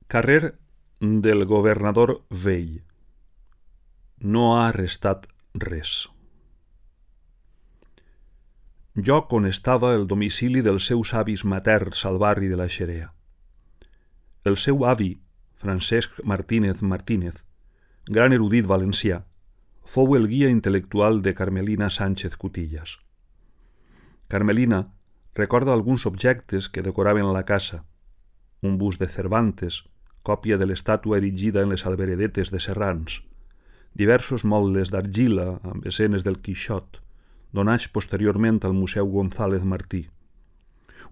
Carrer del governador vell. No ha restat res. Lloc on estava el domicili dels seus avis materns al barri de la Xerea. El seu avi, Francesc Martínez Martínez, gran erudit valencià, fou el guia intel·lectual de Carmelina Sánchez Cutillas. Carmelina recorda alguns objectes que decoraven la casa: un bust de Cervantes, còpia de l'estàtua erigida en les alberedetes de Serrans, diversos motlles d'argila amb escenes del Quixot, donats posteriorment al Museu González Martí,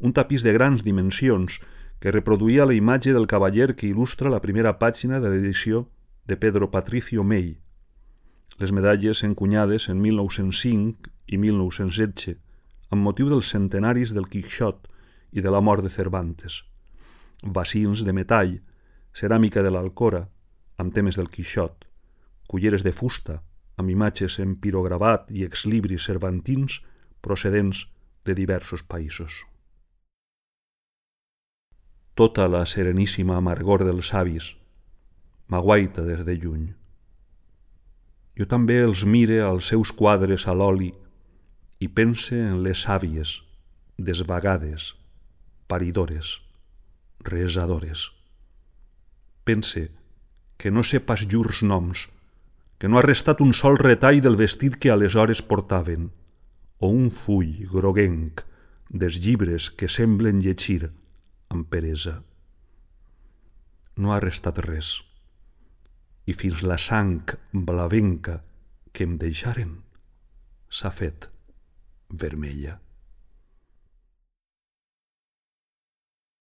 un tapís de grans dimensions que reproduïa la imatge del cavaller que il·lustra la primera pàgina de l'edició de Pedro Patricio Mey, les medalles encunyades en 1905 i 1916 amb motiu dels centenaris del Quixot i de la mort de Cervantes, bacins de metall, ceràmica de l'Alcora amb temes del Quixot, culleres de fusta amb imatges en pirogravat i exlibris cervantins procedents de diversos països. Tota la sereníssima amargor dels avis m'aguaita des de lluny. Jo també els mire als seus quadres a l'oli i pense en les àvies, desvagades, paridores, resadores. Pense que no sé pas llurs noms, que no ha restat un sol retall del vestit que aleshores portaven, o un full groguenc dels llibres que semblen llegir amb peresa. No ha restat res, i fins la sang blavenca que em deixaren s'ha fet vermella.